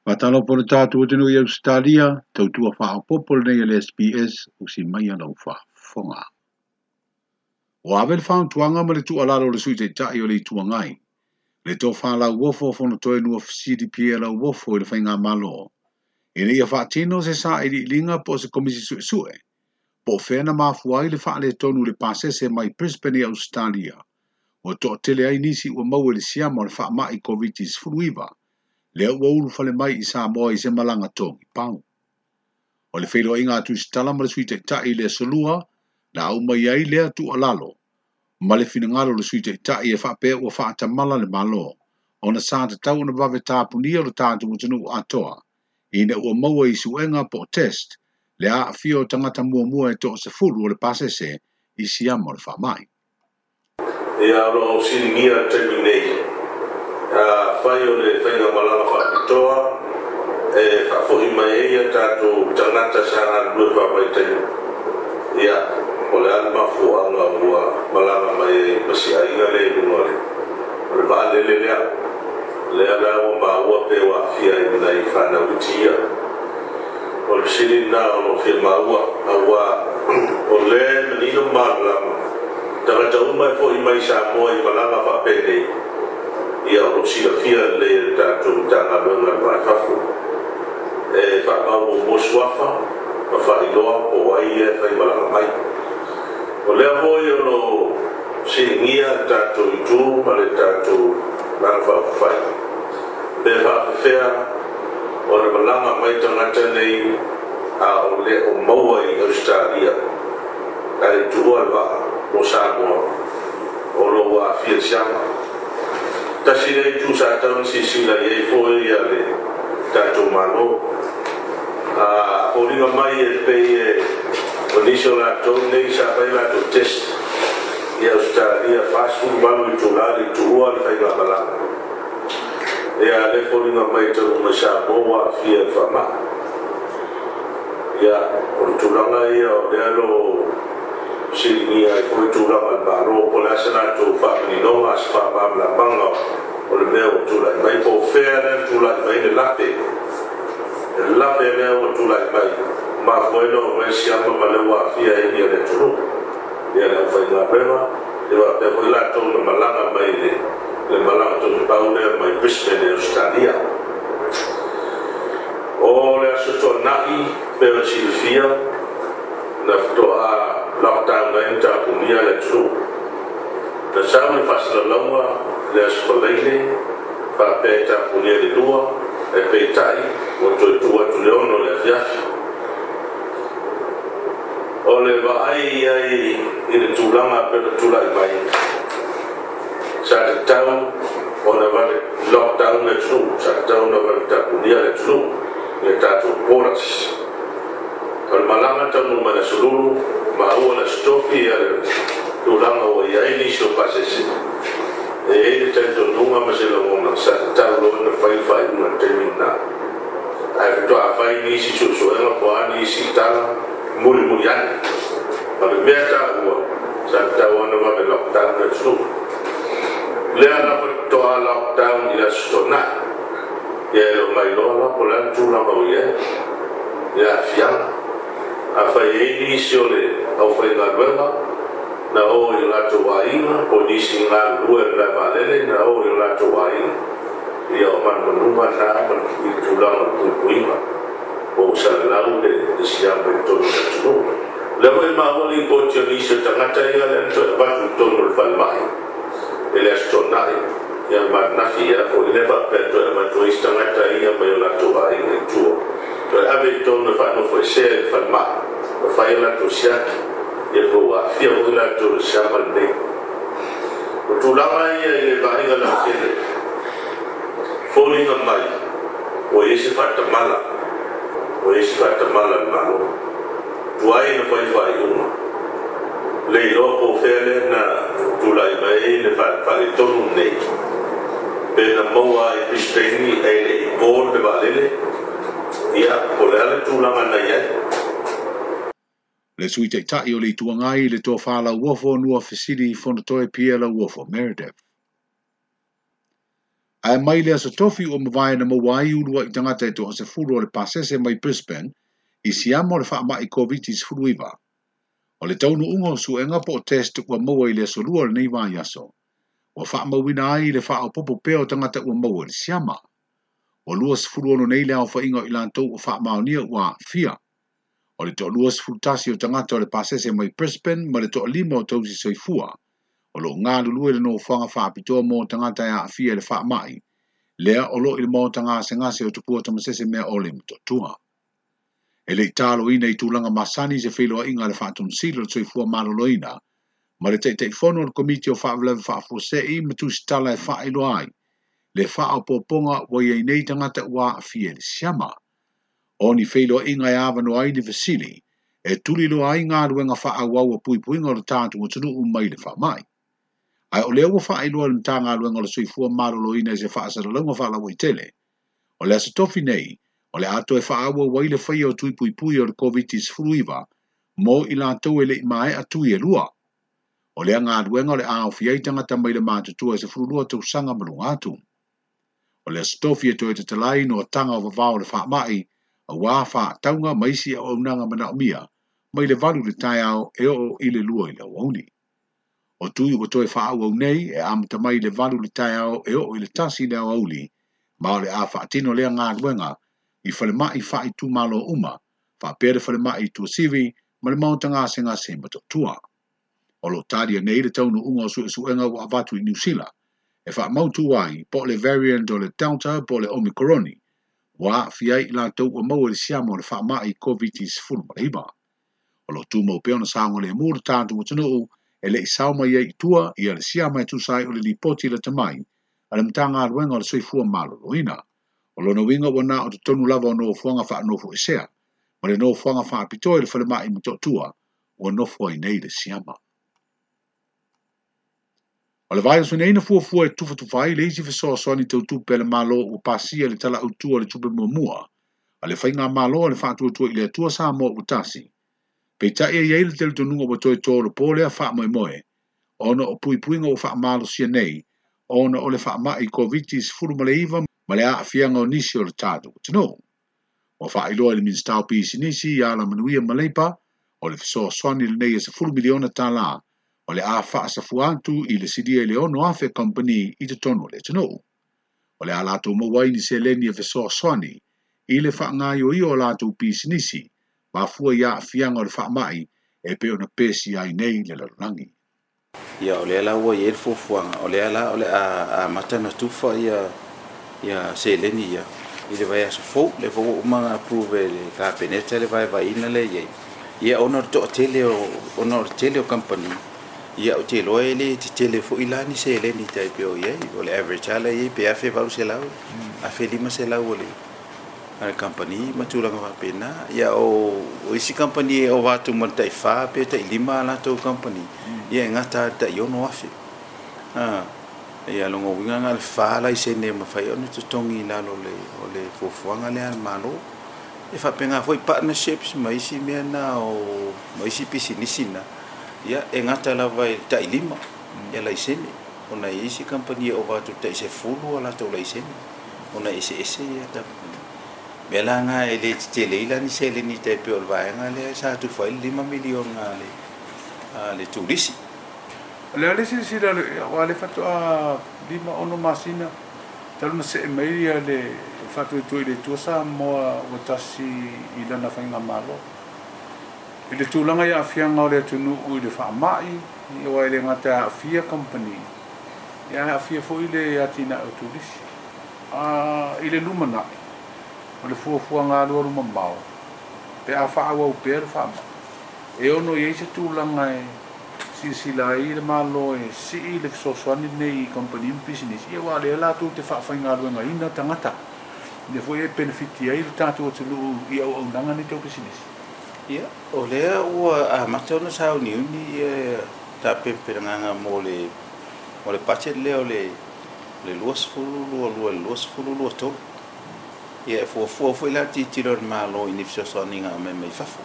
Faatalofa i le tatou atunuu i Ausetalia, tautua faaopoopo lenei a le SBS, usi maia lau faafofoga. Ua ave le fautuaga ma le tuualalo a le Sui Taitai o le Itu Agai, le Tofa Lauofo Fonotoe Nuafesili Pierre Lauofo i le Faigamalo, ina ia faatino se sailiiliga po o se Komisi Suesue po o fea na mafua ai le faaletonu i le pasese mai Brisbane i Ausetalia, ua toatele ai nisi ua maua i le siama o le faamai Koviti-19, lea ua ulufale mai i Samoa i se malaga togi pau. O le feiloaiga a Tusitala ma le Sui Taitai i le Aso Lua, na aumai ai lea tuualalo ma le finagalo o le Sui Taitai e faapea ua faatamala le Malo, ona sa tatau ona vave tapunia lo tatou atunuu atoa, ina ua maua i suega po o test le aafia o tagata muamua e toasefulu o le pasese i siama o le faamai. Ia, o lo o fesiligia i le taimi nei, afai o le faigamalaga faapitoa e faafoi mai ai a tatou tagata sa galulue faavaitaimi, ia, po o le a le mafuaaga ua malaga mai ai ma si aiga lea i luga o le vaalele lea. Lea la ua maua pe ua aafia ai ma nai fanau iti ia. O le fesili lena o lo o fia maua, aua o lea e manino ma malamalama, tagata uma e foi mai i Samoa i malaga faapenei, ia o lo o silafia lelei e le tatou Matagaluega o le Va i Fafo, e faamau muamua suafa ma faailoa po o ai ia e faimalaga mai. O lea foi o lo o fesiligia le tatou itu ma le tatou Vaega Faaupufai, pe faapefea ona malaga mai tagata nei a o le o maua i Ausetalia ae le i tuua le vaa mo Samoa o lo o ua aafia i le siama. Tasi lea itu sa tatau ona silasila i ai foi le tatou Malo. A foliga mai e pei e o nisi o latou nei sa fai latou test i Ausetalia 48 itula le i tuua le faigamalaga. Ia lea foliga mai e taunuu mai Samoa ua aafia i le faamai. Ia o le tulaga ia o lea o lo o fesiligia ai foi tulaga o le Malo po o le a se latou faamaninoga, se faamalamalamaga o le mea ua tulai mai, po o fea lea na tulai mai le lape, le lape lea ua tulai mai, mafua ai ona oo mai le siama ma lea ua aafia ai le atunuu, ia le aufaigaluega, ia faapea foi latou na malaga mai i le malaga togipau lea mai Brisbane i Ausetalia. O le Aso Toonai pei ona silafia, na faatoa lockdown ai ma tapunia le atunuu. Na sau le faasalalauga i le Aso Faraile faapea e tapunia i le 2, ae peitai ua toe tuu atu i le 6 i le afiafi. O le vaai i ai i le tulaga pei ona tulai mai, sa tatau ona vave lockdown le atunuu, sa tatau ona vave tapunia le atunuu i a tatou borders. O le malaga taunuu mai le Aso Lulu, maua le Aso Tofi le tulaga ua i ai nisi o pasese. E i ai le talitonuga ma se lagona sa tatau loa ona fai le faaiuga i le taimi lena. Ae faatoa fai nisi suesuega po o a nisi tala mulimuli ane. O le mea taua, sa tatau ona vave lockdown le atunuu. Lea la faatoa lockdown i le Aso Toonai. Ia e le o mailoa la po o le a le tulaga o i ai le aafiaga. Afai e i ai nisi o le aufaigaluega na o i o latou aiga, po o nisi galulue i le malae vaalele na o i o latou aiga, ia o manumanuga na ma le tulaga o le puipuiga, po ua salalau le siama i totonu o le atunuu. O lea foi e maua lipoti o nisi o tagata ia lea na toe avatu i totonu o le falemai i le Aso Toonai, ia ma ananafi ia foi lea faapea toe avatu ai isi tagata ia mai o latou aiga i tua, toe ave i totonu e faanofoesea i le falemai ma fai a latou siaki, ia po ua aafia foi latou i le siama lenei. O tulaga ia i le vaaiga lautele, foliga mai ua i ai se faatamala, ua i ai se faatamala a le Malo. Tuai na fai faaiuga, le iloa po o fea lea na tulai mai ai le faaletonu lenei, pe na maua i Brisbane ae le i board le vaalele, ia po o le a le tulaga na i ai. Le Sui Taitai o le Itu Agai, le Tofa Lauofo Nuafesili Fonotoe Pierre Lauofo Meredith. Ae mai le Aso Tofi ua mavae na maua ai uluai tagata e toasefulu o le pasese mai Brisbane i siama o le faamai Koviti-19. O le taunuuga o suega po o test ua maua i le aso Lua o lenei vaiaso, ua faamauina ai le faaopoopo pea o tagata ua maua i le siama. Ua 26 nei le aofaiga o i latou ua faamaonia ua aafia. O le toa-21 o tagata o le pasese mai Brisbane ma le toalima o tausi soifua o lo o galulue i le nofoaga faapitoa mo tagata e aafia i le faamai, lea o lo o i le maota gasegase o Tupua Tamasese Meaole i Motootua. E le i taloina i tulaga masani se feiloaiga a le Faatonusili o le Soifua Maloloina ma le Taitaifono o le Komiti o Faalavelave Faafuasei ma Tusitala e faailoa ai le faaopoopoga ua i ai nei tagata ua aafia i le siama. O ni feiloaiga e avanoa ai ni fesili e tuliloa ai galuega faaauau a puipuiga o le tatou atunuu mai le faamai. Ae o lea ua faailoa e le Matagaluega o le Soifua Maloloina i se faasalalauga faalauaitele, o le Aso Tofi nei, o le a toe faaauau ai le faia o tui puipui o le Koviti-19 mo i latou e le i maea tui e lua. O lea galuega o le a aofia ai tagata mai le matutua e 12 tausaga ma luga atu. O le Aso Tofi e toe tatala ai noataga o vavao o le faamai, aua faatauga ma isi auaunaga manaomia mai le 8 i le taeao e oo i le 2 i le aoauli. O tui ua toe faaauau nei e amata mai i le 8 i le taeao e oo i le 1 i le aoauli, ma o le a faatino lea galuega i falemai faaitumalo uma, faapea le falemai i Tuasivi ma le maota gasegase i Motootua. O lo o talia nei le taunuuga o suesuega ua avatu i Niu Sila, e faamautu ai po o le variant o le Delta po o le Omikoroni, ua aafia ai i latou ua maua i le siama o le faamai Koviti-19. O lo o tumau pea ona saogalemu le tatou atunuu e le i sao mai ai i tua ia le siama e tusa ai o le lipoti lata mai a le Matagaluega o le Soifua Maloloina. O lona uiga ua na o totonu lava o nofoaga faanofoesea ma le nofoaga faapitoa i le falemai i Motootua ua nofo ai nei le siama. O le vaiaso nei na fuafua e tufatufa ai le isi fesoasoani tau tupe a le Malo ua pasia i le Tala Autu o le Tupe Muamua a le Faigamalo a le Faatuatua i le Atua Samoa ua tasi. Peitai e i ai le talitonuga ua toe tolopo lea faamoemoe ona o puipuiga ua faamalosia nei ona o le faamai Koviti-19 ma le aafiaga o nisi o le tatou atunuu. Ua faailoa e le Minisita o Pisinisi ia Alamanuia ma Leipa, o le fesoasoani lenei e $10 miliona o le a faasafua atu i le silia i le 6,000 kamupani i totonu o le atunuu. O le a latou maua ai ni seleni e fesoasoani i le faagaoioia o latou pisinisi mafua i aafiaga o le faamai e pei ona pesia ai nei le lalolagi. Ia, o lea la ua i ai le fuafuaga, o lea la o le a amata ona tufa ia ia seleni ia i le vaiaso fou, lea foi ua uma ona approve e le Kapeneta le vaevaeina lea e i ai. Ia ona o le toatele o ona o le tele o kamupani, ia ou te iloa e le tetele foi la ni seleni tai pei o i ai. O le average lava lea e i ai pe $1,800, $1,500 o le a le kamupani ma tulaga faapena. Ia o isi kamupani e ova atu ma le tai 4 pe tai 5 a latou kamupani, ia e gata lava i le tai $6,000. Ia lona uiga na o le 4 laisene e mafai ona totogi i lalo o le fuafuaga lea a le Malo. E faapena foi partnerships ma isi mea na o ma isi pisinisi na, ia e gata lava i le tai 5 ia laisene, ona e i ai isi kamupani e ova atu i le tai 10 a latou laisene, ona e eseese ia mea la na e le tetele ai la ni seleni tai pei o le vaega lea sa tufa ai le $5 miliona a le turisi. O le a le silasila aua o lea faatoa 5, 6 masina talu ona see mai le Faatuatua i le Atua Samoa ua tasi i lana faigamalo. I le tulaga i aafiaga o le atunuu i le faamai, aua e le gata e aafia kamupani, ae aafia foi le atinae o turisi. A i le lumanai, o le fuafuaga alualu mamao, pe a faaauau pea le faamai, e ono i ai se tulaga e silasila ai le Malo e sii le fesoasoani lenei i kamupani ma pisinisi, aua o lea latou te faafaigaluegaina tagata, lea foi e penefiti ai le tatou atunuu i auaunaga nei tau pisinisi. Ia, o lea ua amata ona sauniuni ia tapenapelagaga mo le budget lea o le 2022 i le 2023. Ia, e fuafua foi la le tilotilo a le Malo i ni fesoasoaniga aumai mai fafo.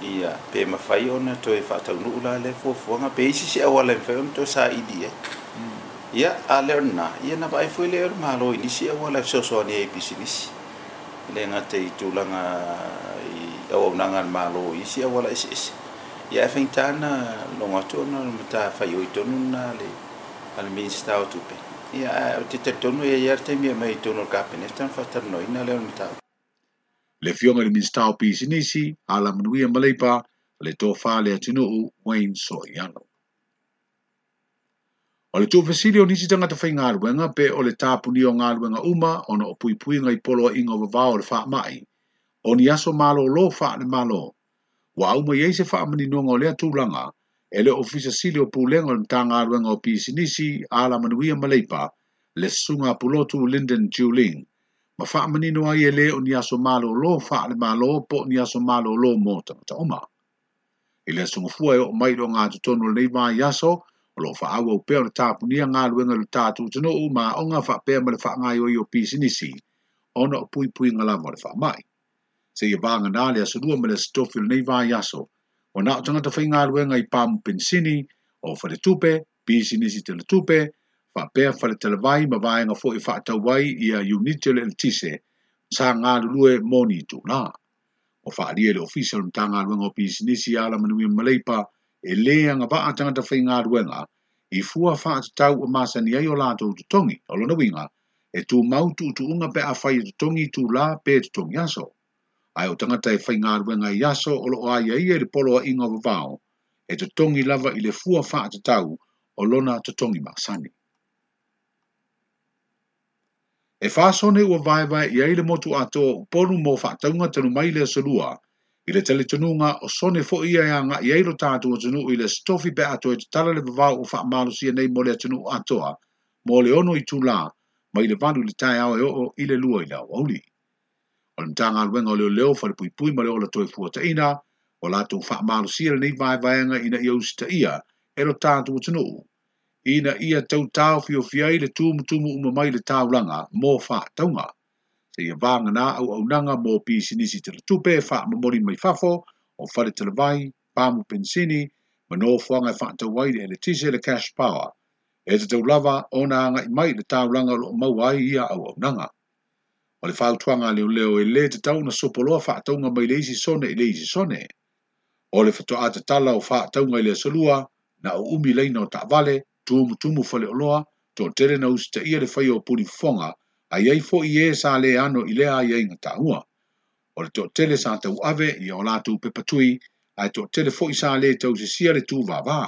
Ia, pe mafai ona toe faataunuu la lea fuafuaga, pe i ai se isi auala e mafai ona toe saili i ai. Ia, a le o lena, ia na vaai foi lea o le Malo i nisi auala e fesoasoani ai i pisinisi, e le gata i tulaga i auaunaga a le Malo i isi auala eseese. Ia ae faigata ona logo atu ona o le matafaioi tonu lena a le Minisita o Tupe. Ia ae ou te talitonu e i ai lava le taimi e aumai i totonu o le Kapeneta ona faatalanoaina lea o le mataupu. Le Afioga i le Minisita o Pisinisi, Alamanuia ma Leipa, le Tofa Leatinuu Wayne Soiano. O le tuufesili o nisi tagata faigaluega pe o le tapunia o galuega uma ona o puipuiga i poloaiga o vavao o le faamai, o ni aso malolo faale-Malo, ua aumai ai se faamaninoga o lea tulaga e le Ofisa Sili o Pulega o le Matagaluega o Pisinisi, Alamanuia ma Leipa, le Susuga a Pulotu Lyndon Juling, ma faamanino ai e le o ni aso malolo faale-Malo po o ni aso malolo mo tagata uma. I le aso Gafua e oo mai i le ogatotonu o lenei vaiaso, o lo o faaauau pea ona tapunia galuega i lo tatou atunuu ma aoga faapea ma le faagaoioi o pisinisi ona o puipuiga lava o le faamai. Seia vagana le aso Lua ma le aso Tofi o lenei vaiaso, ua na o tagata faigaluega i pamu penisini, o faletupe, pisinisi teletupe, faapea faletalavai ma vaega foi e faatau ai ia iunite o le eletise sa galulue mo ni itula. Ua faaalia e le Ofisa o le Matagaluega o Pisinisi Alamanuia ma Leipa e lē agavaa tagata faigaluega i fua faatatau ua masani ai o latou totogi. O lona uiga, e tumau tuutuuga pe afai e totogi itulā pe totogi aso. Ae o tagata e faigaluega i aso o lo o aiaia i le poloaiga o vavao, e totogi lava i le fua faatatau o lona totogi masani. E fa sone ua vaevae i ai le motu atoa o Upolu mo faatauga talu mai le aso Lua, i le talitonuga o sone foi ia e agai ai lo tatou atunuu i le Aso Tofi pe a toe tatala le vavao ua faamalosia nei mo le atunuu atoa mo le 6 itula mai le 8 i le taeao e oo i le 2 i le aoauli. O le Matagaluega o Leoleo, Falepuipui ma le Ola Toefuataina ua latou faamalosia lenei vaevaega ina ia usitaia e lo tatou atunuu ina ia tau taofiofi ai le tumutumu uma mai le taulaga mo faatauga. Seia vagana auaunaga mo pisinisi teletupe e faamomoli mai fafo o faletalavai, pamu penisini, ma nofoaga e faatau ai le eletise le cash power, e tatau lava ona agai mai le taulaga o lo o maua ai ia auaunaga. O le fautuaga a leoleo e lē tatau ona sopoloa faatauga mai le isi sone i le isi sone. O le faatoa tatala o faatauga i le aso Lua, na o umi laina o taavale, tumutumu faleoloa, toatele na usitaia le faia o pulifofoga, a i ai foi ē sa lē ano i lea aiaiga taua. O le toatele sa tauave ia o latou pepa tui, ae toatele foi sa lē tausisia le tūvāvā.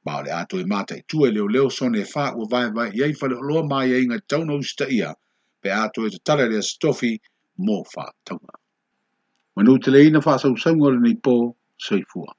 Ma o le a toe mataitu e leoleo sone e fa ua vaevae i ai faleoloa ma aiaiga e tatau ona usitaia pe a toe tatala i le Aso Tofi mo faatauga. Manuteleina faasausauga o lenei po, soifua.